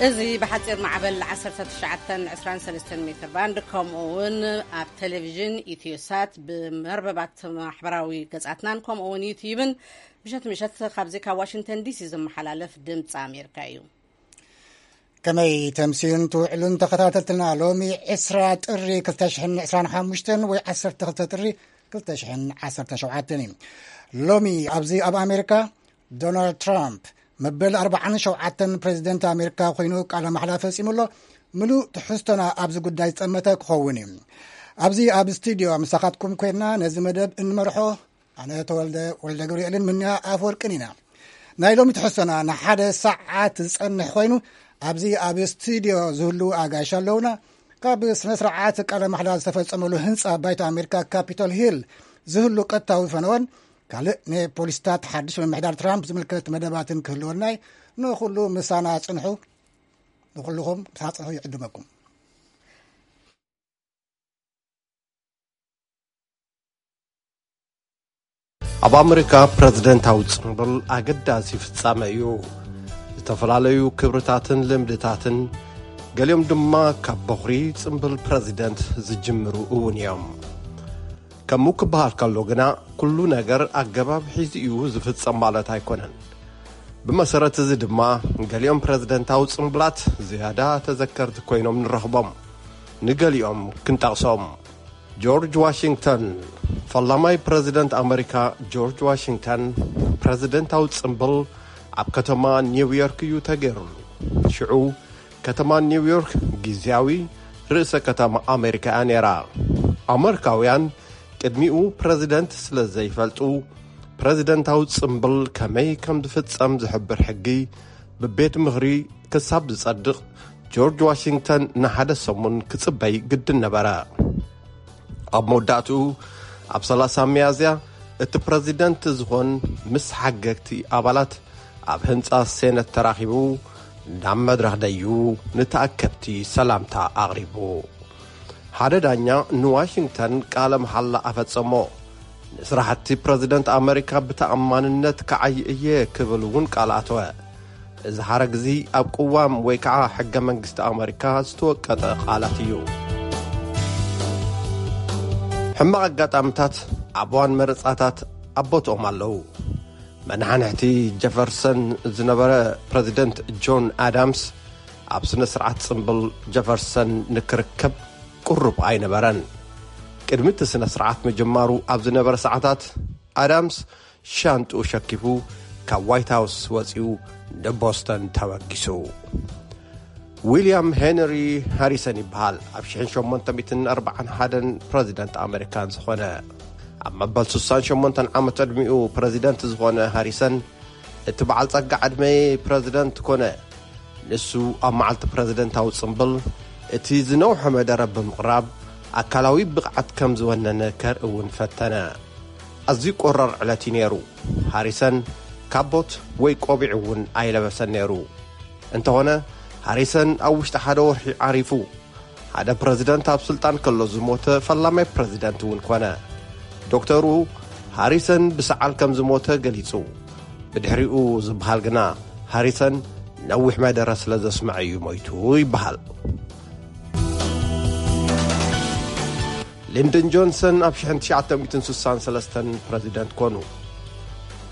እዚ ብሓፂር ማዕበል ዓሰርተ ትሽዓተ ዕስራን ሰለስተን ሜትር ባንድ፣ ከምኡ እውን ኣብ ቴሌቪዥን ኢትዮሳት፣ ብመርበባት ማሕበራዊ ገጻትናን ከምኡ እውን ዩትዩብን ምሸት ምሸት ካብዚ ካብ ዋሽንግተን ዲሲ ዝመሓላለፍ ድምፂ ኣሜሪካ እዩ። ከመይ ተምስዩን ትውዕሉን ተኸታተልትና? ሎሚ ዕስራ ጥሪ ክልተ ሽሕን ዕስራን ሓሙሽተን ወይ ዓሰርተ ክልተ ጥሪ ክልተ ሽሕን ዓሰርተ ሸውዓተን እዩ። ሎሚ ኣብዚ ኣብ ኣሜሪካ ዶናልድ ትራምፕ መበል ኣርባዓን ሸውዓተን ፕሬዚደንት ኣሜሪካ ኮይኑ ቃለ ማሕላ ፈጺሙ ኣሎ። ምሉእ ትሕዝቶና ኣብዚ ጉዳይ ዝጠመተ ክኸውን እዩ። ኣብዚ ኣብ ስቱዲዮ ምሳኻትኩም ኮይና ነዚ መደብ እንመርሖ ኣነ ተወልደ ወልደ ገብርኤልን ምንያ ኣፈወርቅን ኢና። ናይ ሎሚ ትሕዝቶና ንሓደ ሰዓት ዝጸንሕ ኮይኑ ኣብዚ ኣብ ስቱዲዮ ዝህሉ ኣጋይሽ ኣለውና። ካብ ስነ ስርዓት ቃለ ማሕላ ዝተፈጸመሉ ህንጻ ባይቶ ኣሜሪካ ካፒቶል ሂል ዝህሉ ቀጥታዊ ፈነወን ካልእ ንፖሊስታት ሓድሽ ምምሕዳር ትራምፕ ዝምልከት መደባትን ክህልወና እዩ። ንኹሉ ምሳና ጽንሑ። ንኹልኹም ምሳና ጽንሑ ይዕድመኩም። ኣብ ኣመሪካ ፕረዚደንታዊ ጽምብል ኣገዳሲ ፍጻመ እዩ። ዝተፈላለዩ ክብርታትን ልምድታትን፣ ገሊኦም ድማ ካብ በኹሪ ጽምብል ፕረዚደንት ዝጅምሩ እውን እዮም። ከምኡ ክበሃል ከሎ ግና፣ ኩሉ ነገር ኣገባብ ሒዙ እዩ ዝፍጸም ማለት ኣይኮነን። ብመሰረት እዚ ድማ፣ ገሊኦም ፕረዚደንታዊ ጽምብላት ዝያዳ ተዘከርቲ ኮይኖም ንረኽቦም። ንገሊኦም ክንጠቕሶም። ጆርጅ ዋሽንግተን። ፈላማይ ፕረዚደንት ኣመሪካ ጆርጅ ዋሽንግተን፣ ፕረዚደንታዊ ጽምብል ኣብ ከተማ ኒውዮርክ እዩ ተገይሩሉ። ሽዑ፣ ከተማ ኒውዮርክ ግዝያዊ ርእሰ ከተማ ኣመሪካ እያ ነይራ። ኣመሪካውያን ቅድሚኡ ፕረዚደንት ስለ ዘይፈልጡ፣ ፕረዚደንታዊ ጽምብል ከመይ ከም ዝፍጸም ዝሕብር ሕጊ ብቤት ምኽሪ ክሳብ ዝጸድቕ፣ ጆርጅ ዋሽንግተን ንሓደ ሰሙን ክጽበይ ግድን ነበረ። ኣብ መወዳእትኡ፣ ኣብ ሰላሳ ሚያዝያ፣ እቲ ፕረዚደንት ዝኾን ምስ ሓገግቲ ኣባላት ኣብ ህንጻ ሴነት ተራኺቡ፣ ናብ መድረኽ ደዩ ንተኣከብቲ ሰላምታ ኣቕሪቡ። ሓደ ዳኛ ንዋሽንግተን ቃለ መሓላ ኣፈጸሞ። ንስራሕቲ ፕረዚደንት ኣመሪካ ብተኣማንነት ክዓዪ እየ ክብል እውን ቃል ኣተወ። እዚ ሓረግ እዚ ኣብ ቅዋም ወይ ከዓ ሕገ መንግስቲ ኣመሪካ ዝተወቀጠ ቃላት እዩ። ሕማቕ ኣጋጣምታት ኣብ እዋን መረጻታት ኣብ ቦትኦም ኣለዉ። መናሕንሕቲ ጀፈርሰን ዝነበረ ፕረዚደንት ጆን ኣዳምስ ኣብ ስነ ስርዓት ጽምብል ጀፈርሰን ንክርከብ ቅሩብ ኣይነበረን። ቅድሚ እቲ ስነ ስርዓት ምጅማሩ ኣብ ዝነበረ ሰዓታት ኣዳምስ ሻንጥኡ ሸኪፉ ካብ ዋይት ሃውስ ወጺኡ ንቦስተን ተበጊሱ። ዊልያም ሄንሪ ሃሪሰን ይበሃል። ኣብ ሽሕን ሸሞንተ ሚእትን ኣርባዓን ሓደን ፕረዚደንት ኣመሪካን ዝኾነ፣ ኣብ መበል ስሳን ሸሞንተን ዓመት ዕድሚኡ ፕረዚደንት ዝኾነ ሃሪሰን፣ እቲ በዓል ጸጋ ዕድመ ፕረዚደንት ኮነ። ንሱ ኣብ መዓልቲ ፕረዚደንታዊ ጽምብል እቲ ዝነውሐ መደረ ብምቕራብ ኣካላዊ ብቕዓት ከም ዝወነነ ከርኢ እውን ፈተነ። ኣዝዩ ቆራር ዕለት እዩ ነይሩ። ሃሪሰን ካቦት ወይ ቆቢዕ እውን ኣይለበሰን ነይሩ። እንተኾነ፣ ሃሪሰን ኣብ ውሽጢ ሓደ ወርሒ ዓሪፉ። ሓደ ፕረዚደንት ኣብ ስልጣን ከሎ ዝሞተ ፈላማይ ፕረዚደንት እውን ኮነ። ዶክተሩ ሃሪሰን ብሰዓል ከም ዝሞተ ገሊጹ። ብድሕሪኡ ዝበሃል ግና፣ ሃሪሰን ነዊሕ መደረ ስለ ዘስምዐ እዩ ሞይቱ ይበሃል። ሊንደን ጆንሰን ኣብ ሽሕን ትሽዓተ ሚእትን ስሳን ሰለስተን ፕረዚደንት ኮኑ።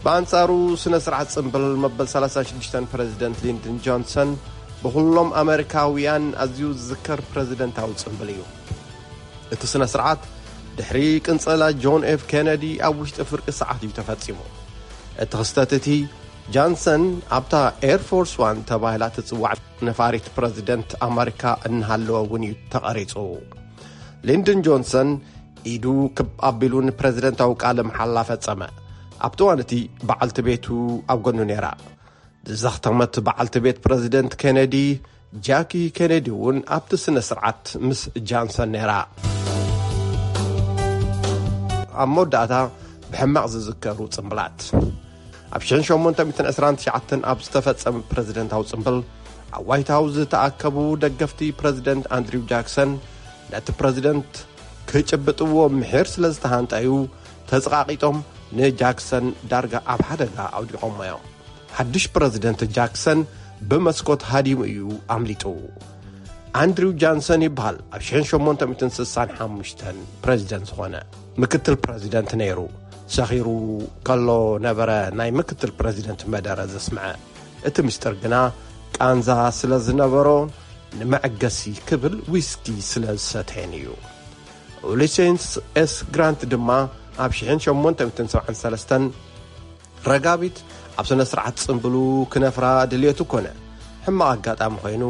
ብኣንጻሩ፣ ስነ ስርዓት ጽምብል መበል ሰላሳን ሽዱሽተን ፕረዚደንት ሊንደን ጆንሰን ብኹሎም ኣመሪካውያን ኣዝዩ ዝዝከር ፕረዚደንታዊ ጽምብል እዩ። እቲ ስነ ስርዓት ድሕሪ ቅንጸላ ጆን ኤፍ ኬነዲ ኣብ ውሽጢ ፍርቂ ሰዓት እዩ ተፈጺሙ። እቲ ክስተት እቲ ጃንሰን ኣብታ ኤር ፎርስ ዋን ተባሂላ ትጽዋዕ ነፋሪት ፕረዚደንት ኣመሪካ እናሃለወ እውን እዩ ተቐሪጹ። ሊንደን ጆንሰን ኢዱ ክብ ኣቢሉ ንፕረዚደንታዊ ቃለ መሓላ ፈጸመ። ኣብቲ እዋን እቲ በዓልቲ ቤቱ ኣብ ጎኑ ነይራ። ዝዘኽተመት በዓልቲ ቤት ፕረዚደንት ኬነዲ፣ ጃኪ ኬነዲ እውን ኣብቲ ስነ ስርዓት ምስ ጃንሰን ነይራ። ኣብ መወዳእታ፣ ብሕማቕ ዝዝከሩ ጽምብላት። ኣብ ሽሕን ሸሞንተ ሚእትን ዕስራን ትሽዓተን ኣብ ዝተፈጸመ ፕረዚደንታዊ ጽምብል፣ ኣብ ዋይት ሃውስ ዝተኣከቡ ደገፍቲ ፕረዚደንት ኣንድሪው ጃክሰን፣ ነቲ ፕረዚደንት ክጭብጥዎ ምሒር ስለ ዝተሃንጠዩ፣ ተጸቓቒጦም ንጃክሰን ዳርጋ ኣብ ሓደጋ ኣውዲቖሞ እዮም። ሓድሽ ፕረዚደንት ጃክሰን ብመስኮት ሃዲሙ እዩ ኣምሊጡ። ኣንድሪው ጃንሰን ይበሃል። ኣብ ሽሕን ሸሞንተ ሚእትን ስሳን ሓሙሽተን ፕረዚደንት ዝኾነ ምክትል ፕረዚደንት ነይሩ። ሰኺሩ ከሎ ነበረ ናይ ምክትል ፕረዚደንት መደረ ዘስምዐ። እቲ ምስጢር ግና ቃንዛ ስለ ዝነበሮ ንመዐገሲ ክብል ዊስኪ ስለ ዝሰተየን እዩ። ኡሊሴንስ ኤስ ግራንት ድማ ኣብ ሽሕን ሸሞንተ ሚእትን ሰብዓን ሰለስተን ረጋቢት ኣብ ስነ ስርዓት ጽምብሉ ክነፍራ ድልየቱ ኮነ። ሕማቕ ኣጋጣሚ ኮይኑ፣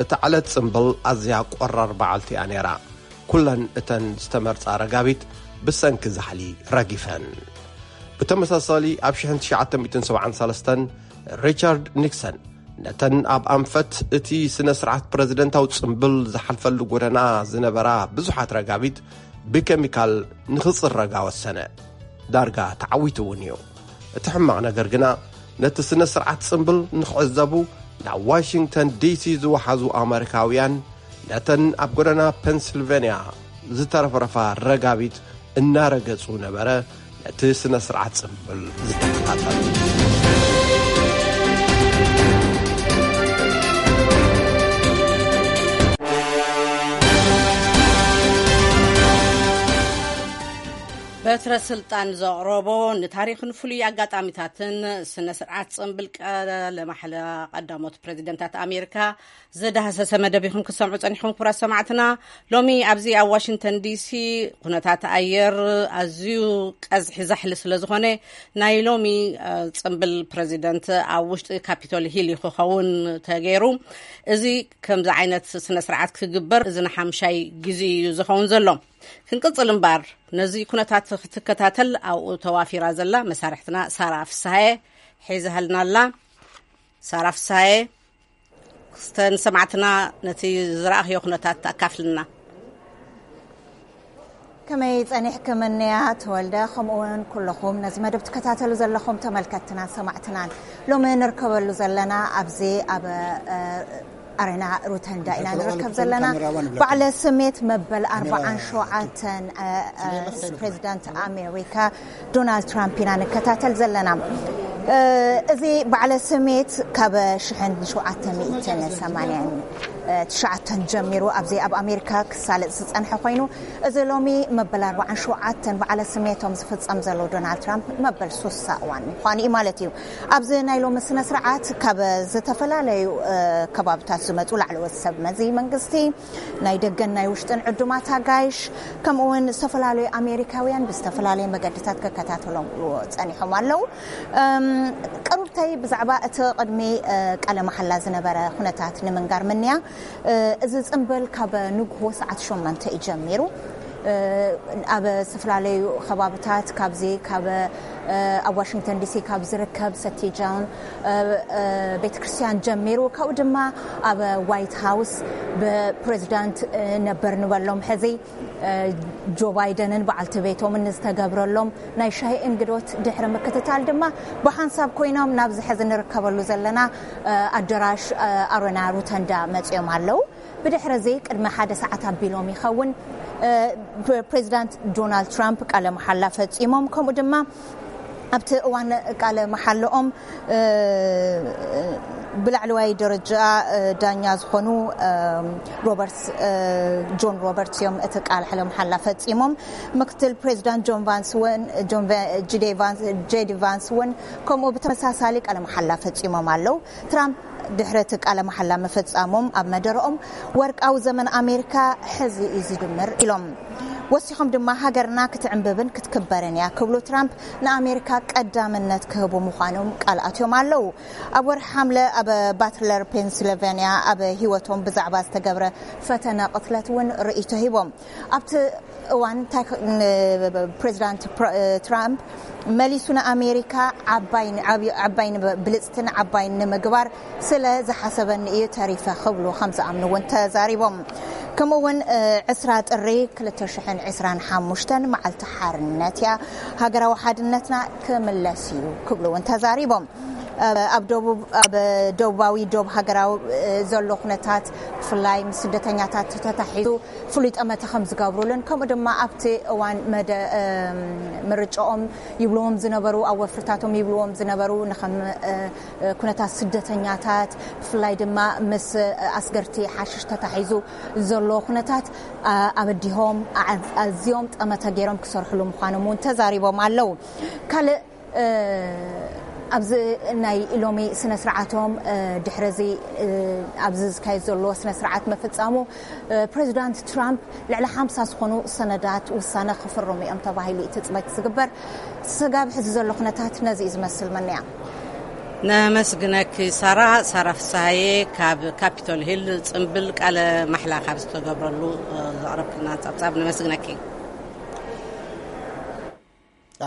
እታ ዕለት ጽምብል ኣዝያ ቆራር በዓልቲ እያ ነይራ። ኩለን እተን ዝተመርጻ ረጋቢት ብሰንኪ ዛሕሊ ረጊፈን። ብተመሳሳሊ ኣብ ሽሕን ትሽዓተ ሚእትን ሰብዓን ሰለስተን ሪቻርድ ኒክሰን ነተን ኣብ ኣንፈት እቲ ስነ ስርዓት ፕረዚደንታዊ ጽምብል ዝሓልፈሉ ጎደና ዝነበራ ብዙሓት ረጋቢት ብኬሚካል ንኽጽረጋ ወሰነ። ዳርጋ ተዓዊቱ እውን እዩ። እቲ ሕማቕ ነገር ግና ነቲ ስነ ስርዓት ጽምብል ንኽዕዘቡ ናብ ዋሽንግተን ዲሲ ዝወሓዙ ኣመሪካውያን ነተን ኣብ ጎደና ፔንስልቬንያ ዝተረፍረፋ ረጋቢት እናረገጹ ነበረ ነቲ ስነ ስርዓት ጽምብል ዝተከታተሉ። በትረ ስልጣን ዘቕረቦ ንታሪኽን ፍሉይ ኣጋጣሚታትን ስነ ስርዓት ጽምብል ቃለ ማሕላ ቀዳሞት ፕረዚደንታት ኣሜሪካ ዝዳህሰሰ መደብ ኢኹም ክሰምዑ ጸኒሕኩም። ክቡራት ሰማዕትና፣ ሎሚ ኣብዚ ኣብ ዋሽንግተን ዲሲ ኩነታት ኣየር ኣዝዩ ቀዝሒ ዛሕሊ ስለ ዝኾነ ናይ ሎሚ ጽምብል ፕረዚደንት ኣብ ውሽጢ ካፒቶል ሂል ክኸውን ተገይሩ። እዚ ከምዚ ዓይነት ስነ ስርዓት ክግበር እዚ ንሓምሻይ ግዜ እዩ ዝኸውን ዘሎ። ክንቅጽል እምበር ነዚ ኩነታት ክትከታተል ኣብኡ ተዋፊራ ዘላ መሳርሕትና ሳራ ፍስሃየ ሒዛሃልና ኣላ። ሳራ ፍስሃየ፣ ክስተን ሰማዕትና ነቲ ዝረኣኽዮ ኩነታት ኣካፍልና። ከመይ ጸኒሕክምንያ ተወልደ፣ ከምኡ እውን ኩለኹም ነዚ መደብ ትከታተሉ ዘለኹም ተመልከትትናን ሰማዕትናን። ሎሚ ንርከበሉ ዘለና ኣብዚ ኣብ ኣሬና ሩተንዳ ኢና ንርከብ ዘለና። በዓለ ስሜት መበል ኣርባዓን ሸውዓተን ፕሬዚዳንት ኣሜሪካ ዶናልድ ትራምፕ ኢና ንከታተል ዘለና። እዚ በዓለ ስሜት ካብ ሽሕን ሸውዓተ ሚእትን ሰማንያን ትሽዓተን ጀሚሩ ኣብዚ ኣብ ኣሜሪካ ክሳለጥ ዝጸንሐ ኮይኑ፣ እዚ ሎሚ መበል ኣርባዓን ሸውዓተን በዓለ ስሜቶም ዝፍጸም ዘሎ ዶናልድ ትራምፕ መበል ሱሳ እዋን ምዃኑ እዩ ማለት እዩ። ኣብዚ ናይ ሎሚ ስነ ስርዓት ካብ ዝተፈላለዩ ከባብታት ዝመጹ ላዕለዎት ሰብ መዚ መንግስቲ፣ ናይ ደገን ናይ ውሽጥን ዕዱማት ኣጋይሽ፣ ከምኡ እውን ዝተፈላለዩ ኣሜሪካውያን ብዝተፈላለየ መገድታት ክከታተሎም ጸኒሖም ኣለዉ። ቅሩብተይ ብዛዕባ እቲ ቅድሚ ቃለ መሓላ ዝነበረ ኩነታት ንምንጋር ምንያ። እዚ ጽምብል ካብ ንግሆ ሰዓት ሸሞንተ እዩ ጀሚሩ። ኣብ ዝተፈላለዩ ከባብታት ካብዚ ካብ ኣብ ዋሽንግተን ዲሲ ካብ ዝርከብ ሰቲ ጆን ቤተ ክርስቲያን ጀሚሩ፣ ካብኡ ድማ ኣብ ዋይት ሃውስ ብፕሬዚዳንት ነበር ንበሎም ሕዚ ጆ ባይደንን በዓልቲ ቤቶምን ንዝተገብረሎም ናይ ሻሂ እንግዶት ድሕሪ ምክትታል ድማ ብሓንሳብ ኮይኖም ናብዚ ሕዚ ንርከበሉ ዘለና ኣደራሽ ኣሮና ሩተንዳ መፅዮም ኣለዉ። ብድሕሪ እዚ ቅድሚ ሓደ ሰዓት ኣቢሎም ይኸውን ፕሬዚዳንት ዶናልድ ትራምፕ ቃለ መሓላ ፈፂሞም፣ ከምኡ ድማ ኣብቲ እዋን ቃለ መሓልኦም ብላዕለዋይ ደረጃ ዳኛ ዝኾኑ ሮበርትስ ጆን ሮበርትስ እዮም እቲ ቃለ መሓላ ፈፂሞም። ምክትል ፕሬዚዳንት ጆን ቫንስ እውን ጄዲ ቫንስ እውን ከምኡ ብተመሳሳሊ ቃለ መሓላ ፈፂሞም ኣለዉ። ትራምፕ ድሕሪ እቲ ቃለ መሓላ ምፍጻሞም ኣብ መደረኦም፣ ወርቃዊ ዘመን ኣሜሪካ ሕዚ እዩ ዝድምር ኢሎም። ወሲኾም ድማ ሃገርና ክትዕንብብን ክትክበርን እያ ክብሉ ትራምፕ ንኣሜሪካ ቀዳምነት ክህቡ ምዃኖም ቃል ኣትዮም ኣለዉ። ኣብ ወርሒ ሓምለ ኣብ ባትለር ፔንስልቨንያ ኣብ ህይወቶም ብዛዕባ ዝተገብረ ፈተነ ቅትለት እውን ርእይቶ ሂቦም። ኣብቲ እዋን ፕሬዚዳንት ትራምፕ መሊሱ ንኣሜሪካ ዓባይ ብልፅትን ዓባይ ንምግባር ስለ ዝሓሰበኒ እዩ ተሪፈ ክብሉ ከም ዝኣምኑ እውን ተዛሪቦም። ከምኡ እውን ዕስራ ጥሪ ክልተ ሽሕን ዕስራን ሓሙሽተን መዓልቲ ሓርነት እያ፣ ሃገራዊ ሓድነትና ክምለስ እዩ ክብሉ እውን ተዛሪቦም። ኣብ ደቡብ ኣብ ደቡባዊ ዶብ ሃገራዊ ዘሎ ኩነታት ብፍላይ ምስ ስደተኛታት ተታሒዙ ፍሉይ ጠመተ ከም ዝገብሩሉን ከምኡ ድማ ኣብቲ እዋን መደ ምርጫኦም ይብልዎም ዝነበሩ ኣብ ወፍርታቶም ይብልዎም ዝነበሩ ንከም ኩነታት ስደተኛታት ብፍላይ ድማ ምስ ኣስገርቲ ሓሽሽ ተታሒዙ ዘሎ ኩነታት ኣበዲሆም ኣዝዮም ጠመተ ገይሮም ክሰርሕሉ ምዃኖም እውን ተዛሪቦም ኣለዉ። ካልእ ኣብዚ ናይ ሎሚ ስነ ስርዓቶም ድሕረዚ ኣብዚ ዝካየድ ዘሎ ስነ ስርዓት መፈጻሙ ፕሬዚዳንት ትራምፕ ልዕሊ ሓምሳ ዝኾኑ ሰነዳት ውሳነ ክፍርሙ እዮም ተባሂሉ እዩ ትፅበት ዝግበር። ስጋብ ሕዚ ዘሎ ኩነታት ነዚ እዩ ዝመስል። መነያ ነመስግነኪ ሳራ። ሳራ ፍስሃየ ካብ ካፒቶል ሂል ፅምብል ቃለ ማሕላ ካብ ዝተገብረሉ ዘቕረብክልና ፀብፃብ ነመስግነኪ።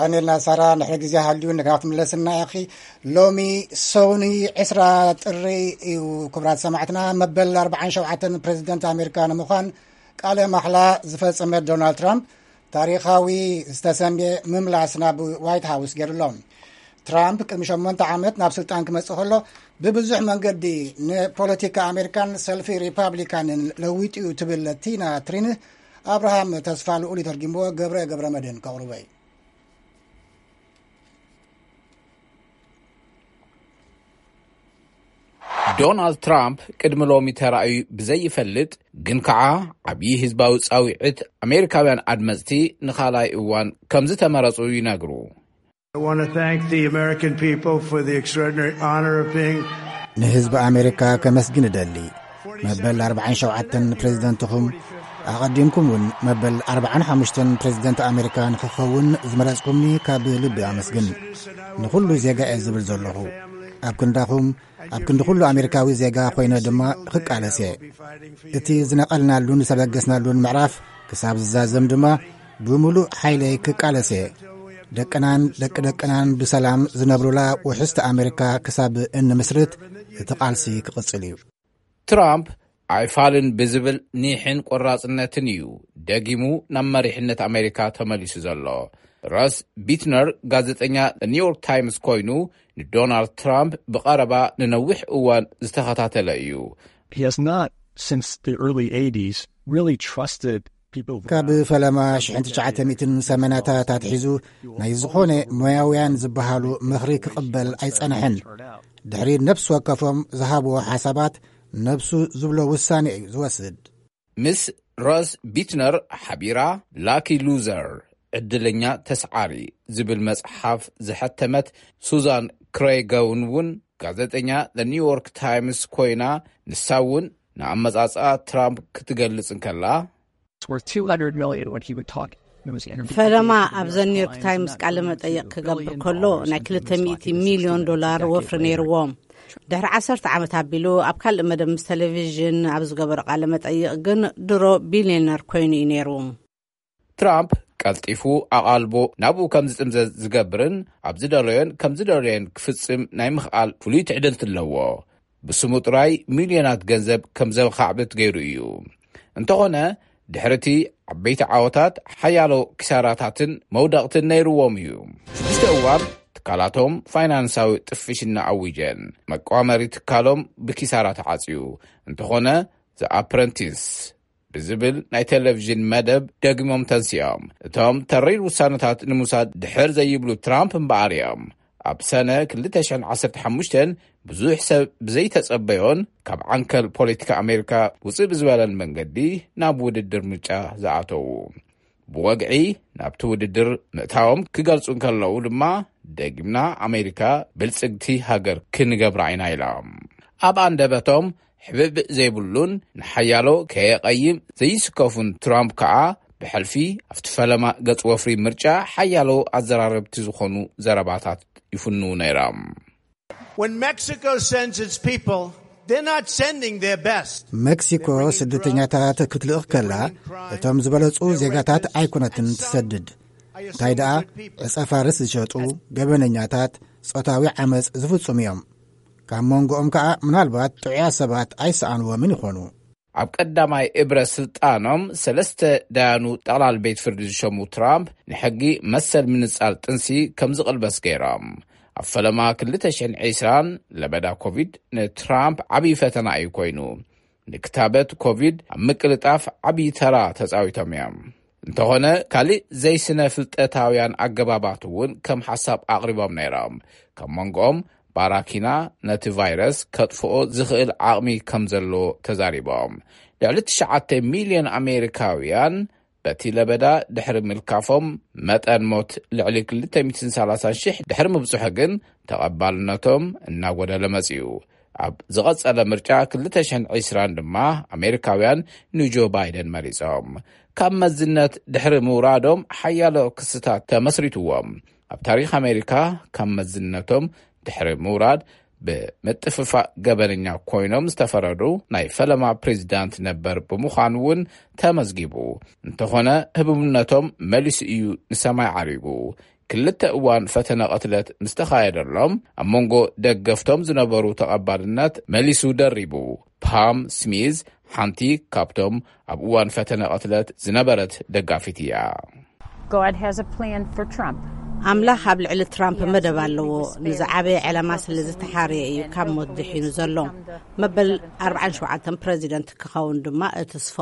ኣኔልና ሳራ ንሕሪ ግዜ ሃልዩ ንጋፍ ምለስና ኢኺ። ሎሚ ሰውኒ ዕስራ ጥሪ እዩ። ክቡራት ሰማዕትና፣ መበል ኣርባዓን ሸውዓተን ፕሬዚደንት ኣሜሪካ ንምዃን ቃለ ማሕላ ዝፈጸመ ዶናልድ ትራምፕ ታሪኻዊ ዝተሰምየ ምምላስ ናብ ዋይት ሃውስ ገይሩሎ። ትራምፕ ቅድሚ ሸሞንተ ዓመት ናብ ስልጣን ክመጽእ ከሎ ብብዙሕ መንገዲ ንፖለቲካ ኣሜሪካን ሰልፊ ሪፓብሊካንን ለዊጡ እዩ ትብል ቲና ትሪን ኣብርሃም ተስፋ ልኡል ይተርጊምዎ። ገብረ ገብረ መድህን ከቕርቦ እዩ። ዶናልድ ትራምፕ ቅድሚ ሎሚ ተራእዩ ብዘይፈልጥ ግን ከዓ ዓብዪ ህዝባዊ ፃዊዕት ኣሜሪካውያን ኣድመፅቲ ንኻልኣይ እዋን ከም ዝተመረፁ ይነግሩ። I want to thank the American people for the extraordinary honor of being ንህዝቢ ኣሜሪካ ከመስግን እደሊ። መበል ኣርባዓን ሸውዓተን ፕሬዚደንትኹም ኣቐዲምኩም እውን መበል ኣርባዓን ሓሙሽተን ፕሬዚደንት ኣሜሪካ ንክኸውን ዝመረጽኩምኒ ካብ ልቢ ኣመስግን። ንኹሉ ዜጋ እየ ዝብል ዘለኹ። ኣብ ክንዳኹም ኣብ ክንዲ ኩሉ ኣሜሪካዊ ዜጋ ኮይነ ድማ ክቃለስ እየ። እቲ ዝነቐልናሉን ዝተበገስናሉን ምዕራፍ ክሳብ ዝዛዘም ድማ ብምሉእ ሓይለይ ክቃለስ እየ። ደቅናን ደቂ ደቅናን ብሰላም ዝነብሩላ ውሕስቲ ኣሜሪካ ክሳብ እንምስርት እቲ ቃልሲ ክቕጽል እዩ። ትራምፕ ኣይፋልን ብዝብል ኒሕን ቆራጽነትን እዩ ደጊሙ ናብ መሪሕነት ኣሜሪካ ተመሊሱ ዘሎ። ሮስ ቢትነር ጋዜጠኛ ኒውዮርክ ታይምስ ኮይኑ ንዶናልድ ትራምፕ ብቐረባ ንነዊሕ እዋን ዝተኸታተለ እዩ። He has not, since the early eighties, really trusted people. ካብ ፈለማ ሽሕን ትሽዓተ ሚእትን ሰመናታት ኣትሒዙ ናይ ዝኾነ ሞያውያን ዝበሃሉ ምኽሪ ክቕበል ኣይጸንሐን። ድሕሪ ነፍሲ ወከፎም ዝሃብዎ ሓሳባት ነብሱ ዝብሎ ውሳኔ እዩ ዝወስድ። ምስ ሮስ ቢትነር ሓቢራ ላኪ ሉዘር ዕድለኛ ተስዓሪ ዝብል መጽሓፍ ዝሐተመት ሱዛን ክሬገውን እውን ጋዜጠኛ ኒውዮርክ ታይምስ ኮይና ንሳ እውን ንኣመጻጽኣ ትራምፕ ክትገልጽ እንከላ It's worth two hundred million when he would talk. It was interviewed. ፈለማ ኣብ ዘ ኒውዮርክ ታይምስ ቃለ መጠይቕ ክገብር ከሎ ናይ ክልተ ሚእቲ ሚልዮን ዶላር ወፍሪ ነይርዎም። ድሕሪ ዓሰርተ ዓመት ኣቢሉ ኣብ ካልእ መደብ ምስ ቴሌቪዥን ኣብ ዝገበሮ ቃለ መጠይቕ ግን ድሮ ቢልዮነር ኮይኑ እዩ ነይሩ። ትራምፕ ቀልጢፉ ኣቓልቦ ናብኡ ከም ዝጥምዘዝ ዝገብርን ኣብ ዝደለዮን ከም ዝደለዮን ክፍጽም ናይ ምኽኣል ፍሉይ ትዕድልቲ ኣለዎ። ብስሙ ጥራይ ሚልዮናት ገንዘብ ከም ዘኻዕብት ገይሩ እዩ። እንተኾነ ድሕርቲ ዓበይቲ ዓወታት ሓያሎ ኪሳራታትን መውደቕትን ነይርዎም እዩ። ሽዱሽተ እዋን ትካላቶም ፋይናንሳዊ ጥፍሽና ኣዊጀን። መቋመሪ ትካሎም ብኪሳራ ተዓጽዩ። እንተኾነ ዘ ኣፕረንቲስ ብዝብል ናይ ቴሌቪዥን መደብ ደግሞም ተንሲኦም። እቶም ተሪር ውሳነታት ንምውሳድ ድሕር ዘይብሉ ትራምፕ እምበኣር እዮም። ኣብ ሰነ ክልተ ሽሕን ዓሰርተ ሓሙሽተን ብዙሕ ሰብ ብዘይተጸበዮን ካብ ዓንከል ፖለቲካ ኣሜሪካ ውጽእ ብዝበለን መንገዲ ናብ ውድድር ምርጫ ዝኣተዉ። ብወግዒ ናብቲ ውድድር ምእታዎም ክገልጹ እንከለዉ ድማ ደጊምና ኣሜሪካ ብልጽግቲ ሃገር ክንገብራ ኢና ኢሎም። ኣብ ኣንደበቶም ሕብእ ዘይብሉን ንሓያሎ ከየቐይም ዘይስከፉን ትራምፕ ከኣ ብሕልፊ ኣብቲ ፈለማ ገጽ ወፍሪ ምርጫ ሓያሎ ኣዘራረብቲ ዝኾኑ ዘረባታት ይፍንዉ ነይሮም። When Mexico sends its people, they're not sending their best. መክሲኮ ስደተኛታት ክትልእኽ ከላ እቶም ዝበለጹ ዜጋታት ኣይኮነትን ትሰድድ። እንታይ ደኣ ዕጸ ፋርስ ዝሸጡ ገበነኛታት ጾታዊ ዓመጽ ዝፍጽሙ እዮም። ካብ መንጎኦም ከኣ ምናልባት ጥዑያት ሰባት ኣይሰኣንዎምን ይኾኑ። ኣብ ቀዳማይ እብረ ስልጣኖም ሰለስተ ዳያኑ ጠቕላል ቤት ፍርዲ ዝሸሙ ትራምፕ፣ ንሕጊ መሰል ምንጻል ጥንሲ ከም ዝቕልበስ ገይሮም። ኣብ ፈለማ ክልተ ሽሕን ዕስራን ለበዳ ኮቪድ ንትራምፕ ዓብዪ ፈተና እዩ ኮይኑ። ንክታበት ኮቪድ ኣብ ምቅልጣፍ ዓብዪ ተራ ተጻዊቶም እዮም። እንተኾነ፣ ካልእ ዘይስነ ፍልጠታውያን ኣገባባት እውን ከም ሓሳብ ኣቕሪቦም ነይሮም። ካብ መንጎኦም፣ ባራኪና ነቲ ቫይረስ ከጥፍኦ ዝኽእል ዓቕሚ ከም ዘሎ ተዛሪቦም። ልዕሊ ትሽዓተ ሚልዮን ኣሜሪካውያን በቲ ለበዳ ድሕሪ ምልካፎም፣ መጠን ሞት ልዕሊ ክልተ ሚእትን ሰላሳን ሽሕ ድሕሪ ምብጽሑ ግን፣ ተቐባልነቶም እናጎደለ መጺኡ። ኣብ ዝቐጸለ ምርጫ ክልተ ሽሕን ዕስራን ድማ፣ ኣሜሪካውያን ንጆ ባይደን መሪጾም። ካብ መዝነት ድሕሪ ምውራዶም፣ ሓያሎ ክስታት ተመስሪትዎም። ኣብ ታሪኽ ኣሜሪካ፣ ካብ መዝነቶም ድሕሪ ምውራድ፣ ብምጥፍፋእ ገበነኛ ኮይኖም ዝተፈረዱ ናይ ፈለማ ፕሬዚዳንት ነበር ብምዃን እውን ተመዝጊቡ። እንተኾነ፣ ህቡብነቶም መሊሱ እዩ ንሰማይ ዓሪጉ። ክልተ እዋን ፈተነ ቅትለት ምስ ተኻየደሎም፣ ኣብ መንጎ ደገፍቶም ዝነበሩ ተቐባልነት መሊሱ ደሪቡ። ፓም ስሚዝ፣ ሓንቲ ካብቶም ኣብ እዋን ፈተነ ቅትለት ዝነበረት ደጋፊት እያ። God has a plan for Trump. ኣምላኽ ኣብ ልዕሊ ትራምፕ መደብ ኣለዎ። ንዝዓበየ ዕላማ ስለ ዝተሓርየ እዩ ካብ ሞት ድሒኑ ዘሎ። መበል ኣርባዓን ሸውዓተን ፕረዚደንት ክኸውን ድማ እትስፎ።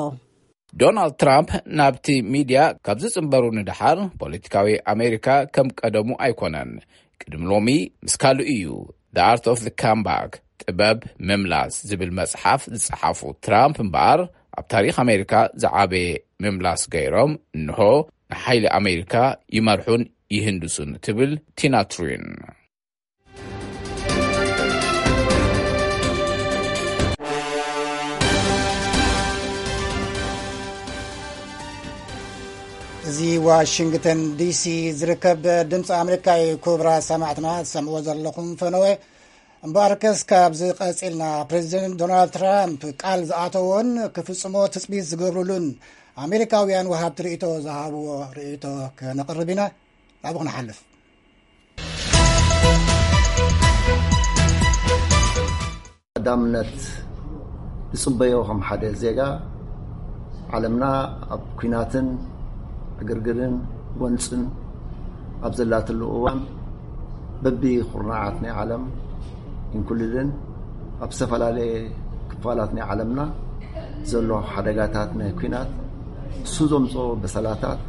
ዶናልድ ትራምፕ ናብቲ ሚድያ ካብ ዝጽንበሩ ንደሓር፣ ፖለቲካዊ ኣሜሪካ ከም ቀደሙ ኣይኮነን። ቅድሚ ሎሚ ምስ ካልኡ እዩ። The Art of the Comeback፣ ጥበብ ምምላስ ዝብል መጽሓፍ ዝጸሓፉ ትራምፕ እምበኣር፣ ኣብ ታሪኽ ኣሜሪካ ዝዓበየ ምምላስ ገይሮም፣ እንሆ ንሓይሊ ኣሜሪካ ይመርሑን ይህንድሱን፣ ትብል ቲና ትሪን። እዚ ዋሽንግተን ዲሲ ዝርከብ ድምፂ ኣሜሪካ እዩ። ክቡራት ሰማዕትና፣ ትሰምዕዎ ዘለኹም ፈነወ። እምበኣርከስ፣ ካብዚ ቀፂልና፣ ፕሬዚደንት ዶናልድ ትራምፕ ቃል ዝኣተዎን ክፍፅሞ ትፅቢት ዝገብሩሉን ኣሜሪካውያን ወሃብቲ ርእይቶ ዝሃብዎ ርእይቶ ከነቕርብ ኢና። ናብኡ ክንሓልፍ። ቀዳምነት ዝጽበዮ ከም ሓደ ዜጋ፣ ዓለምና ኣብ ኲናትን ዕግርግርን ጎንጽን ኣብ ዘላትሉ እዋን፣ በቢ ኩርናዓት ናይ ዓለም፣ ኢንኩሉድን ኣብ ዝተፈላለየ ክፋላት ናይ ዓለምና ዘሎ ሓደጋታት ናይ ኲናት፣ እሱ ዘምጽኦ በሰላታት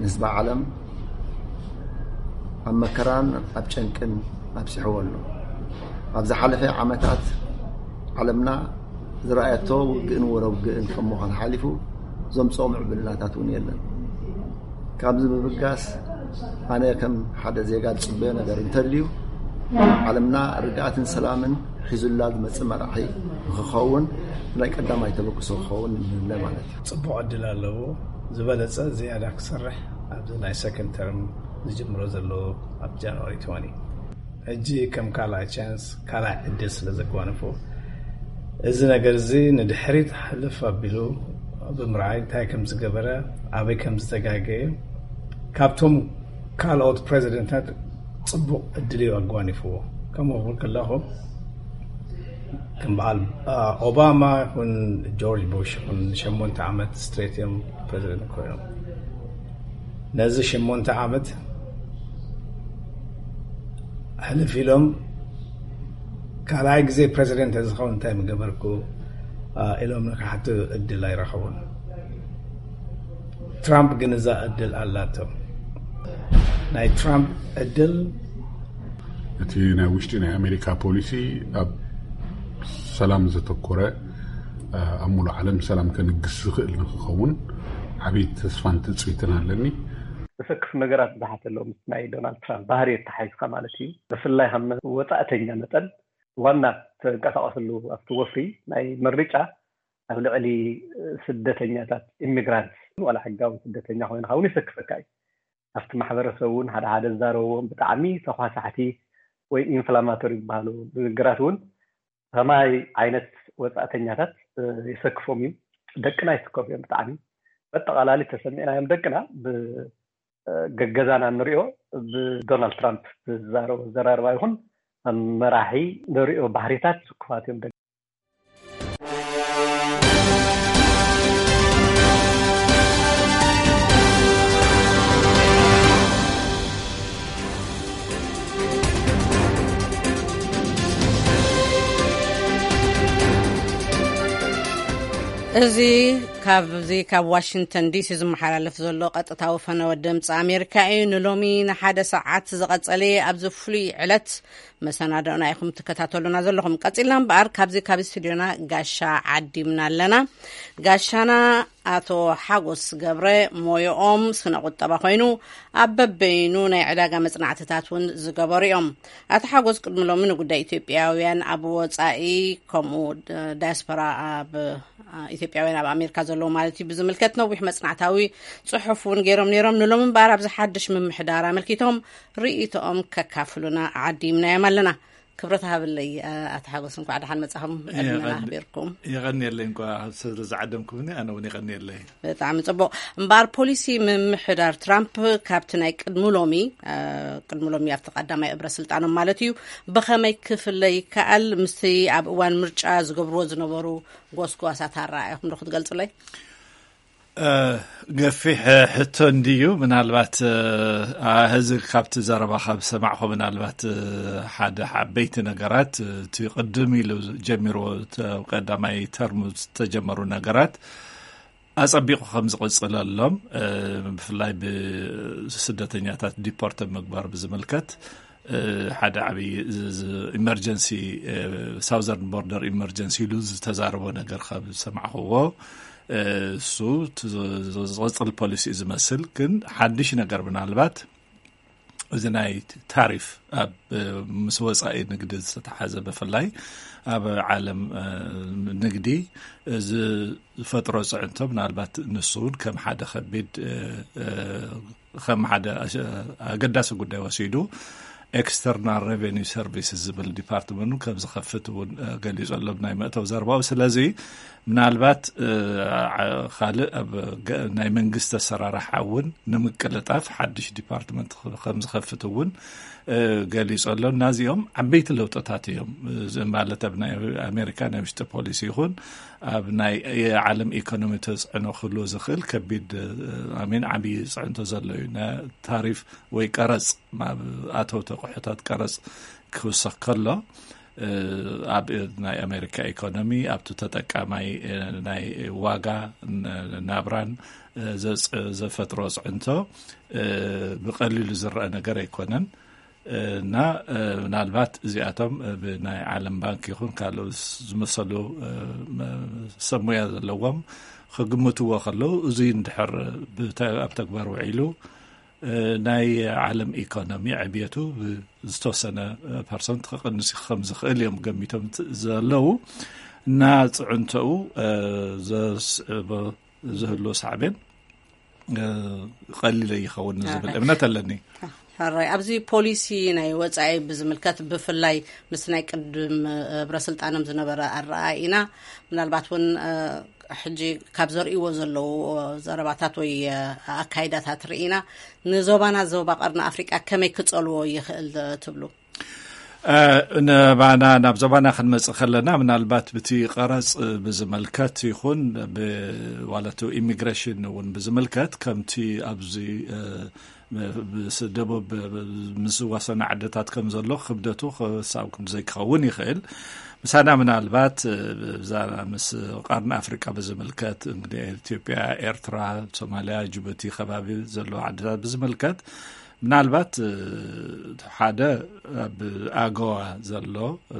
ንህዝቢ ዓለም ኣብ መከራን ኣብ ጨንቅን ኣብጺሕዎ ኣሎ። ኣብ ዝሓለፈ ዓመታት ዓለምና ዝረኣየቶ ውግእን ወረ ውግእን ከም ምዃን ሓሊፉ ዘምጽኦ ምዕብልናታት እውን የለን። ካብዚ ብምብጋስ፣ ኣነ ከም ሓደ ዜጋ ዝጽበዮ ነገር እንተልዩ፣ ዓለምና ርግኣትን ሰላምን ሒዙላ ዝመጽእ መራሒ ንክኸውን ናይ ቀዳማይ ተበግሶ ክኸውን ንብለ ማለት እዩ። ጽቡቕ ዕድል ኣለዎ። ዝበለጸ ዝያዳ ክሰርሕ ኣብዚ ናይ ሰከንድ ተርም ዝጅምሮ ዘሎ ኣብ ጃንዋሪ ትወኒ። ሕጂ ከም ካልኣይ ቻንስ፣ ካልኣይ ዕድል ስለ ዘጓነፎ፣ እዚ ነገር እዚ ንድሕሪት ሕልፍ ኣቢሉ ብምርኣይ፣ እንታይ ከም ዝገበረ፣ ኣበይ ከም ዝተጋገየ፣ ካብቶም ካልኦት ፕሬዚደንታት ጽቡቕ ዕድል እዩ ኣጓኒፍዎ። ከምኡ ክብል ከለኹ፣ ከም በዓል ኦባማ ይኹን ጆርጅ ቡሽ ይኹን፣ ሸሞንተ ዓመት ስትሬት እዮም ፕሬዚደንት ኮይኖም። ነዚ ሸሞንተ ዓመት ሕልፍ ኢሎም፣ ካልኣይ ግዜ ፕሬዚደንት ዝኸውን እንታይ ምገበርኩ ኢሎም ንክሓቱ ዕድል ኣይረኸቡን። ትራምፕ ግን እዛ ዕድል ኣላቶ። ናይ ትራምፕ ዕድል፣ እቲ ናይ ውሽጢ ናይ ኣሜሪካ ፖሊሲ ኣብ ሰላም ዘተኮረ፣ ኣብ ሙሉእ ዓለም ሰላም ከንግስ ዝኽእል ንክኸውን ዓብዪ ተስፋን ትፅቢትን ኣለኒ። ዘሰክፍ ነገራት ብዙሓት ኣለዉ። ምስ ናይ ዶናልድ ትራምፕ ባህሪ የተሓሒዝካ ማለት እዩ። ብፍላይ ከም ወፃእተኛ መጠን፣ ዋና ተንቀሳቐስሉ ኣብቲ ወፍሪ ናይ ምርጫ ኣብ ልዕሊ ስደተኛታት፣ ኢሚግራንትስ፣ ዋላ ሕጋዊ ስደተኛ ኮይንካ እውን የሰክፈካ እዩ። ኣብቲ ማሕበረሰብ እውን ሓደ ሓደ ዝዛረብዎም ብጣዕሚ ተኳሳሕቲ ወይ ኢንፍላማቶሪ ዝበሃሉ ንግግራት እውን ከማይ ዓይነት ወፃእተኛታት የሰክፎም እዩ። ደቅና ይስከፉ እዮም ብጣዕሚ። በጠቓላሊ ተሰሚዕናዮም ደቅና ብገገዛና ንሪኦ፣ ብዶናልድ ትራምፕ ዝዛረቦ ኣዘራርባ ይኹን መራሒ ንሪኦ ባህሪታት ስኩፋት እዮም። እዚ ካብዚ ካብ ዋሽንግተን ዲሲ ዝመሓላለፍ ዘሎ ቀጥታዊ ፈነወ ድምፂ ኣሜሪካ እዩ። ንሎሚ ንሓደ ሰዓት ዝቐጸለ ኣብዚ ፍሉይ ዕለት መሰናዶና ኢኹም ትከታተሉና ዘለኹም። ቀጺልና እምበኣር ካብዚ ካብ ስቱዲዮና ጋሻ ዓዲምና ኣለና። ጋሻና ኣቶ ሓጎስ ገብረ ሞዮኦም ስነ ቁጠባ ኮይኑ ኣብ በበይኑ ናይ ዕዳጋ መጽናዕትታት እውን ዝገበሩ እዮም። ኣቶ ሓጎስ ቅድሚ ሎሚ ንጉዳይ ኢትዮጵያውያን ኣብ ወጻኢ ከምኡ ዳያስፖራ ኣብ ኢትዮጵያውያን ኣብ ኣሜሪካ ዘለዉ ማለት እዩ ብዝምልከት ነዊሕ መጽናዕታዊ ጽሑፍ እውን ገይሮም ነይሮም። ንሎም እምበኣር ኣብዚ ሓድሽ ምምሕዳር ኣመልኪቶም ርእይቶኦም ከካፍሉና ዓዲምናዮም ኣለና። ክብረት ሃብለይ ኣቲ ሓጎስ፣ እንኳዕ ደሓን መጻኹም። ዕድመና ኣኽቢርኩም። የቐንየለይ፣ እንኳ ስለ ዝዓደምኩምኒ ኣነ እውን የቐንየለይ። ብጣዕሚ ጽቡቕ። እምበኣር ፖሊሲ ምምሕዳር ትራምፕ ካብቲ ናይ ቅድሚ ሎሚ ቅድሚ ሎሚ ኣብቲ ቀዳማይ እብረ ስልጣኖም ማለት እዩ ብኸመይ ክፍለ ይከኣል? ምስቲ ኣብ እዋን ምርጫ ዝገብርዎ ዝነበሩ ጎስጓሳት ኣረኣእያኹም ዶ ክትገልጹለይ? ገፊሕ ሕቶ እንድዩ። ምናልባት ሕዚ ካብቲ ዘረባ ካብ ሰማዕኹ ምናልባት ሓደ ዓበይቲ ነገራት እቲ ቅድም ኢሉ ጀሚርዎ ቀዳማይ ተርሙ ዝተጀመሩ ነገራት ኣጸቢቑ ከም ዝቕጽለሎም ብፍላይ ብስደተኛታት ዲፖርት ምግባር ብዝምልከት ሓደ ዓብዪ ኢመርጀንሲ ሳውዘርን ቦርደር ኢመርጀንሲ ኢሉ ዝተዛረቦ ነገር ካብ ዝሰማዕኽዎ እሱ ዝቕፅል ፖሊሲ ዝመስል ግን ሓድሽ ነገር ምናልባት እዚ ናይ ታሪፍ ኣብ ምስ ወፃኢ ንግዲ ዝተተሓዘ ብፍላይ ኣብ ዓለም ንግዲ ዝፈጥሮ ፅዕንቶ ምናልባት ንሱ እውን ከም ሓደ ከቢድ ከም ሓደ ኣገዳሲ ጉዳይ ወሲዱ ኤክስተርናል ሬቨኒ ሰርቪስ ዝብል ዲፓርትመንት ከም ዝኸፍት እውን ገሊፁ ኣሎ ናይ መእተው ዘርባኡ። ስለዚ ምናልባት ካልእ ኣብ ናይ መንግስቲ ኣሰራርሓ እውን ንምቅልጣፍ ሓድሽ ዲፓርትመንት ከም ዝኸፍት እውን ገሊፁ ኣሎ። እናዚኦም ዓበይቲ ለውጥታት እዮም ማለት ኣብ ናይ ኣሜሪካ ናይ ውሽጢ ፖሊሲ ይኹን ኣብ ናይ ዓለም ኢኮኖሚ ተፅዕኖ ክህልዎ ዝኽእል ከቢድ ኣሜን ዓብዪ ፅዕንቶ ዘሎ እዩ። ታሪፍ ወይ ቀረፅ ኣብ ኣተውቲ ኣቑሑታት ቀረፅ ክውሰኽ ከሎ ኣብ ናይ ኣሜሪካ ኢኮኖሚ ኣብቲ ተጠቃማይ ናይ ዋጋ ናብራን ዘፈጥሮ ፅዕንቶ ብቐሊሉ ዝረአ ነገር ኣይኮነን። እና ምናልባት እዚኣቶም ብናይ ዓለም ባንክ ይኹን ካልእ ዝመሰሉ ሰብ ሙያ ዘለዎም ክግምትዎ ከለዉ እዚ እንድሕር ኣብ ተግባር ውዒሉ ናይ ዓለም ኢኮኖሚ ዕብየቱ ዝተወሰነ ፐርሰንት ክቕንስ ከም ዝኽእል እዮም ገሚቶም ዘለዉ እና ፅዕንተኡ ዘስዕቦ ዝህሉ ሳዕቤን ቀሊለ ይኸውን ዝብል እምነት ኣለኒ። ሕራይ ኣብዚ ፖሊሲ ናይ ወፃኢ ብዝምልከት ብፍላይ ምስ ናይ ቅድም ህብረ ስልጣኖም ዝነበረ ኣረኣኢና ምናልባት እውን ሕጂ ካብ ዘርእዎ ዘለዉ ዘረባታት ወይ ኣካይዳታት ርኢና ንዞባና ዞባ ቀርኒ ኣፍሪቃ ከመይ ክጸልዎ ይኽእል ትብሉ? ንባና ናብ ዞባና ክንመጽእ ከለና ምናልባት ብቲ ቀረጽ ብዝመልከት ይኹን ዋለቱ ኢሚግሬሽን እውን ብዝምልከት ከምቲ ኣብዚ ምስ ደቡብ ምስ ዝዋሰና ዓድታት ከም ዘሎ ክብደቱ ክሳብ ክንዲ ዘይክኸውን ይኽእል። ምሳና ምናልባት ብዛ ምስ ቀርኒ ኣፍሪቃ ብዝምልከት እንግዲህ ኢትዮጵያ፣ ኤርትራ፣ ሶማሊያ፣ ጅቡቲ ከባቢ ዘለዋ ዓድታት ብዝምልከት ምናልባት ሓደ ኣብ ኣገዋ ዘሎ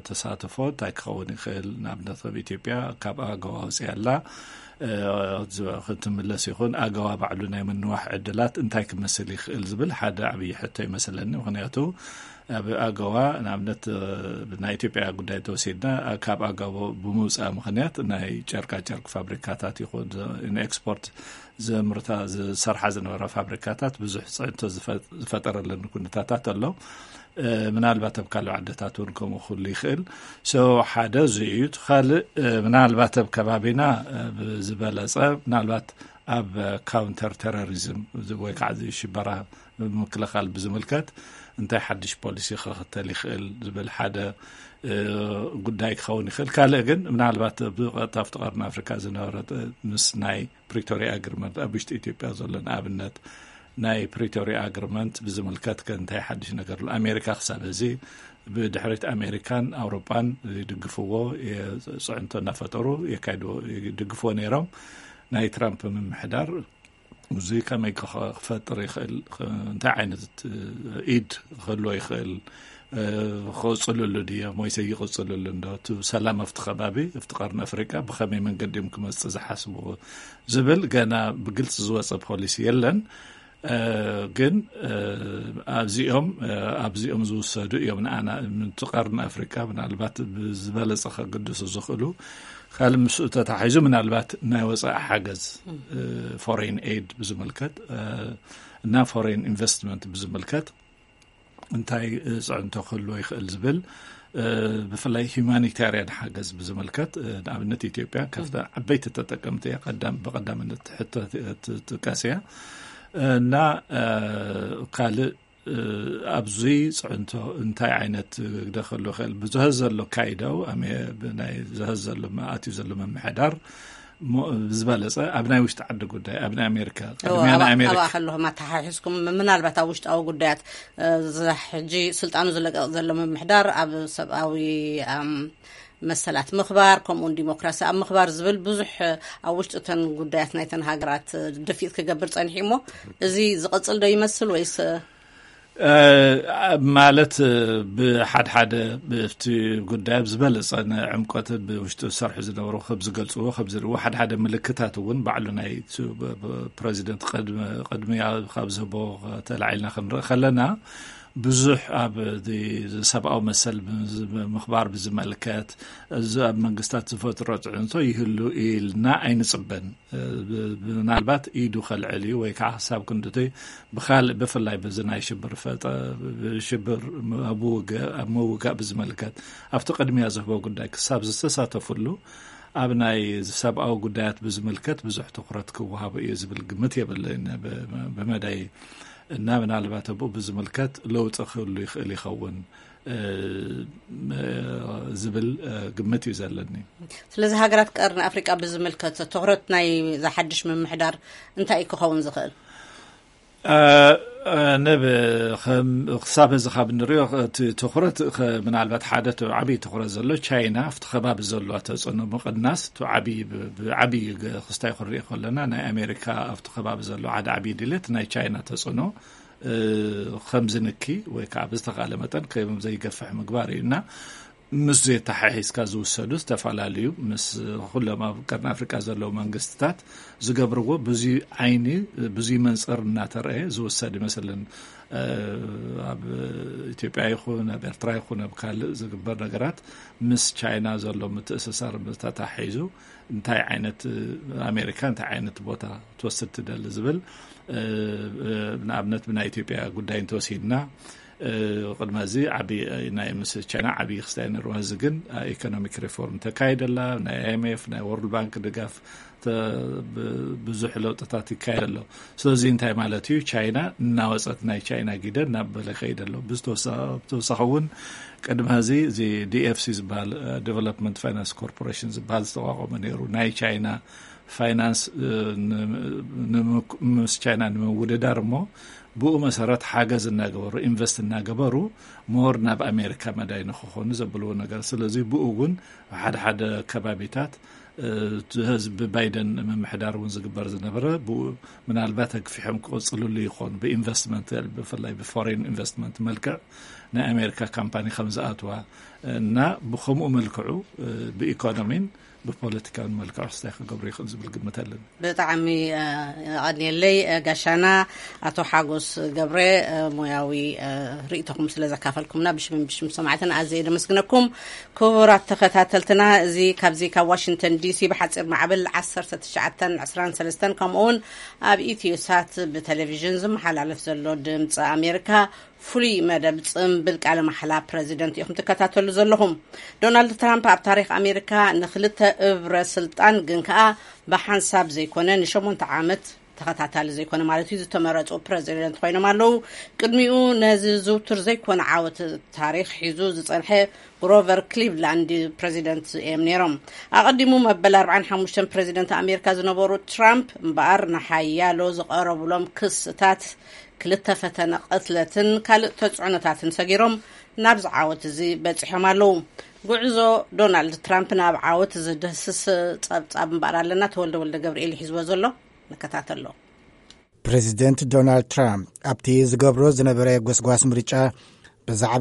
ተሳትፎ እንታይ ክኸውን ይኽእል? ንኣብነት ከም ኢትዮጵያ ካብ ኣገዋ ወፂኣ ኣላ ክትምለስ ይኹን ኣገዋ ባዕሉ ናይ ምንዋሕ ዕድላት እንታይ ክመስል ይኽእል ዝብል ሓደ ዓብዪ ሕቶ ይመስለኒ። ምክንያቱ ኣብ ኣገዋ ንኣብነት ናይ ኢትዮጵያ ጉዳይ ተወሲድና ካብ ኣገዋ ብምውፃእ ምክንያት ናይ ጨርቃ ጨርቂ ፋብሪካታት ይኹን ንኤክስፖርት ዘምርታ ዝሰርሓ ዝነበራ ፋብሪካታት ብዙሕ ፅዕንቶ ዝፈጠረለን ኩነታታት ኣሎ። ምናልባት ኣብ ካልእ ዓድታት እውን ከምኡ ክህሉ ይኽእል። ሶ ሓደ እዚ እዩ። እቲ ካልእ ምናልባት ኣብ ከባቢና ብዝበለፀ ምናልባት ኣብ ካውንተር ቴሮሪዝም ወይ ከዓ ሽበራ ምክልኻል ብዝምልከት እንታይ ሓድሽ ፖሊሲ ክኽተል ይኽእል ዝብል ሓደ ጉዳይ ክኸውን ይኽእል። ካልእ ግን ምናልባት ብቐጥታ ኣብቲ ቀርኒ ኣፍሪካ ዝነበረ ምስ ናይ ፕሪቶሪያ ኣግሪመንት ኣብ ውሽጢ ኢትዮጵያ ዘሎ ንኣብነት ናይ ፕሪቶሪያ ኣግሪመንት ብዝምልከት ከ እንታይ ሓድሽ ነገር ኣሎ? ኣሜሪካ ክሳብ ሕዚ ብድሕሪት ኣሜሪካን ኣውሮጳን ይድግፍዎ፣ ጽዕንቶ እናፈጠሩ የካይድዎ፣ ይድግፍዎ ነይሮም። ናይ ትራምፕ ምምሕዳር እዚ ከመይ ክኸ- ክፈጥር ይኽእል፣ ክ- እንታይ ዓይነት ኢድ ክህልዎ ይኽእል፣ እ፣ ክቕጽልሉ ድዮም ወይስ ይቕጽልሉ እንዶ? እቲ ሰላም ኣብቲ ከባቢ፣ ኣብቲ ቀርኒ ኣፍሪቃ ብኸመይ መንገዲ እዮም ክመጽእ ዝሓስብዎ ዝብል ገና ብግልጺ ዝወጸ ፖሊሲ የለን። እ፣ ግን፣ እ፣ ኣብዚኦም፣ እ፣ ኣብዚኦም ዝውሰዱ እዮም ንኣና፣ ምንቲ ቀርኒ ኣፍሪቃ ምናልባት ብዝበለጸ ከግድሱ ዝኽእሉ። ካልእ ምስኡ ተታሒዙ ምናልባት ናይ ወጻኢ ሓገዝ፣ እ፣ ፎሬን ኤድ ብዝምልከት፣ እ፣ እና ፎሬን ኢንቨስትመንት ብዝምልከት እንታይ፣ እ፣ ጽዕንቶ ክህልዎ ይኽእል ዝብል፣ እ፣ ብፍላይ ሂማኒታርያን ሓገዝ ብዝምልከት፣ እ፣ ንኣብነት ኢትዮጵያ ካብታ ዓበይቲ ተጠቀምቲ እያ፣ ቀዳም-፣ ብቐዳምነት ሕቶ ት-፣ ትጥቀስ እያ። እና፣ እ፣ ካልእ፣ እ፣ ኣብዚ ጽዕንቶ እንታይ ዓይነት ግደ ክህልዎ ይኽእል? ብዝሀዝ ዘሎ ካይዳው፣ ኣሜ-፣ ብናይ ዝሀዝ ዘሎ፣ ኣትዩ ዘሎ ምምሕዳር፣ ሞ-፣ ዝበለጸ ኣብ ናይ ውሽጢ ዓዲ ጉዳይ፣ ኣብ ናይ ኣሜሪካ፣ እዎ፣ ቅድሚያ ናይ ኣባ-፣ ኣሜሪካ። ኣባኣ ከለኹም ኣተሓሒዝኩም፣ ምናልባት ኣብ ውሽጣዊ ጉዳያት፣ እ፣ እዚ ሕጂ ስልጣኑ ዝለቀቕ ዘሎ ምምሕዳር ኣብ ሰብኣዊ፣ ኣም፣ መሰላት ምኽባር፣ ከምኡውን ዲሞክራሲ ኣብ ምኽባር ዝብል ብዙሕ፣ እ፣ ኣብ ውሽጢ እተን ጉዳያት ናይተን ሃገራት፣ እ፣ ድፊት ክገብር ጸኒሑ እሞ፣ እዚ ዝቐጽል ዶ ይመስል ወይስ፣ እ፣ እ፣ ማለት፣ እ፣ ብሓድሓደ ብቲ ጉዳይ ኣብ ዝበለጸ ንዕምቆት ብውሽጡ ዝሰርሑ ዝነበሩ ከም ዝገልጽዎ፣ ከም ዝርእዎ፣ ሓድሓደ ምልክታት እውን ባዕሉ ናይ ቱ-፣ ብ-፣ ብ-፣ ፕረዚደንት ቅድሚ፣ ቅድሚያ ካብ ዝህቦ ተላዒልና ክንርኢ ከለና፣ ብዙሕ ኣብ እቲ ሰብኣዊ መሰል ብዝ-፣ ምኽባር ብዝመልከት፣ እዚ ኣብ መንግስታት ዝፈጥሮ ጽዕንቶ ይህሉ ኢልና ኣይንጽበን። ብ-፣ ምናልባት ኢዱ ከልዕል እዩ ወይ ከዓ ክሳብ ክንድቲ ብኻልእ፣ ብፍላይ በዚ ናይ ሽብር ፈጠ-፣ ሽብር ኣብ ምውግእ፣ ኣብ ምውጋእ ብዝምልከት ኣብቲ ቅድሚያ ዝህቦ ጉዳይ ክሳብ ዝተሳተፍሉ ኣብ ናይ ሰብኣዊ ጉዳያት ብዝምልከት ብዙሕ ትኹረት ክወሃቦ እዩ ዝብል ግምት የብለይን። ብ-፣ ብመዳይ እና ምናልባት ኣብኡ ብዝምልከት ለውጢ ክህሉ ይኽእል ይኸውን፣ እ፣ ዝብል፣ እ፣ ግምት እዩ ዘለኒ። ስለዚ ሃገራት ቀርኒ ኣፍሪቃ ብዝምልከት ትኹረት ናይ ዝሓድሽ ምምሕዳር እንታይ እዩ ክኸውን ዝኽእል? እ፣ እ፣ ንብ-፣ ከም ክሳብ እዚ ካብ እንሪኦ እቲ ትኹረት ከ-፣ ምናልባት ሓደ እቲ ዓብዪ ትኹረት ዘሎ ቻይና ኣብቲ ከባቢ ዘለዋ ተጽዕኖ ምቕናስ እቲ ዓብዪ ብ-፣ ብዓብዪ ገ-፣ ክስታይ ክንሪኦ ከለና ናይ ኣሜሪካ ኣብቲ ከባቢ ዘሎ ሓደ ዓብዪ ድሌት ናይ ቻይና ተጽዕኖ፣ እ፣ ከም ዝንኪ ወይ ከዓ ብዝተኻለ መጠን ከም ዘይገፍሕ ምግባር እዩ እና ምስ ዘተሓሒዝካ ዝውሰዱ ዝተፈላለዩ ምስ ኩሎም ኣብ ቀርኒ ኣፍሪቃ ዘለዉ መንግስትታት ዝገብርዎ ብዙይ ዓይኒ ብዙይ መንፅር እናተረአ ዝውሰድ ይመስልን። እ፣ ኣብ ኢትዮጵያ ይኹን ኣብ ኤርትራ ይኹን ኣብ ካልእ ዝግበር ነገራት ምስ ቻይና ዘሎ ምትእስሳር ተታሒዙ እንታይ ዓይነት፣ ኣሜሪካ እንታይ ዓይነት ቦታ ትወስድ ትደሊ ዝብል፣ እ፣ እ፣ ንኣብነት ብናይ ኢትዮጵያ ጉዳይ እንተወሲድና፣ እ፣ ቅድሚ እዚ ዓቢ ናይ ምስ ቻይና ዓቢ ክስታይ ነርዋ። እዚ ግን ኢኮኖሚክ ሪፎርም ተካይደላ፣ ናይ ኣይ ኤም ኤፍ፣ ናይ ወርልድ ባንክ ድጋፍ ተ-፣ ብ-፣ ብዙሕ ለውጥታት ይካየድ ኣሎ። ስለዚ እንታይ ማለት እዩ? ቻይና እናወፀት ናይ ቻይና ጊደ እናበለ ይኸይድ ኣሎ። ብዝተወሳ-፣ ብተወሳኺ እውን ቅድሚ ሕዚ እዚ ዲ ኤፍ ሲ ዝበሃል፣ እ፣ ዲቨሎፕመንት ፋይናንስ ኮርፖሬሽን ዝበሃል ዝተቋቋመ ነይሩ። ናይ ቻይና ፋይናንስ፣ እ፣ ን-፣ ንምክ-፣ ምስ ቻይና ንምውድዳር እሞ ብኡ መሰረት ሓገዝ እናገበሩ፣ ኢንቨስት እናገበሩ ሞር ናብ ኣሜሪካ መዳይ ንክኾኑ ዘብልዎ ነገር። ስለዚ ብኡ እውን ሓደ ሓደ ከባቢታት፣ እ፣ እቲ ህዝቢ ባይደን ምምሕዳር እውን ዝግበር ዝነበረ ብኡ ምናልባት ኣግፊሖም ክቕፅልሉ ይኾኑ። ብኢንቨስትመንት፣ ብፍላይ ብፎሬን ኢንቨስትመንት መልክዕ ናይ ኣሜሪካ ካምፓኒ ከም ዝኣትዋ እና ብኸምኡ መልክዑ፣ እ፣ ብኢኮኖሚን ብፖለቲካውን መልክዑ ክስታይ ክገብሩ ይኽእል ዝብል ግምት ኣለኒ። ብጣዕሚ፣ እ፣ የቐንየለይ፣ እ፣ ጋሻና ኣቶ ሓጎስ ገብረ፣ እ፣ ሞያዊ፣ እ፣ ርእይቶኹም ስለ ዘካፈልኩምና ብሽምን ብሽም ሰማዕትን ኣዝየ ደመስግነኩም። ክቡራት ተኸታተልትና፣ እዚ ካብዚ ካብ ዋሽንግተን ዲ ሲ ብሓፂር ማዕበል ዓሰርተ ትሽዓተን ዕስራን ሰለስተን ከምኡውን ኣብ ኢትዮ ሳት ብቴሌቪዥን ዝመሓላለፍ ዘሎ ድምፂ ኣሜሪካ ፍሉይ መደብ ጽምብል ቃለ ማሕላ ፕረዚደንት ኢኹም ትከታተሉ ዘለኹም። ዶናልድ ትራምፕ ኣብ ታሪኽ ኣሜሪካ ንኽልተ እብረ ስልጣን ግን ከኣ ብሓንሳብ ዘይኮነ ንሸሞንተ ዓመት ተኸታታሊ ዘይኮነ ማለት እዩ ዝተመረጹ ፕረዚደንት ኮይኖም ኣለዉ። ቅድሚኡ ነዚ ዝውቱር ዘይኮነ ዓወት ታሪኽ ሒዙ ዝጸንሐ ግሮቨር ክሊቭላንድ ፕረዚደንት እዮም ነይሮም። ኣቐዲሙ መበል ኣርባዓን ሓሙሽተን ፕረዚደንት ኣሜሪካ ዝነበሩ ትራምፕ እምበኣር ንሓያሎ ዝቐረቡሎም ክስታት ክልተ ፈተነ ቅትለትን ካልእ ተጽዕኖታትን ሰጊሮም ናብዚ ዓወት እዚ በጺሖም ኣለዉ። ጉዕዞ ዶናልድ ትራምፕ ናብ ዓወት ዝድህስስ ጸብጻብ እምበኣር ኣለና። ተወልደ ወልደ ገብርኤል ይሕዝዎ ዘሎ፣ ንከታተሎ። ፕሬዚደንት ዶናልድ ትራምፕ ኣብቲ ዝገብሮ ዝነበረ ጎስጓስ ምርጫ ብዛዕባ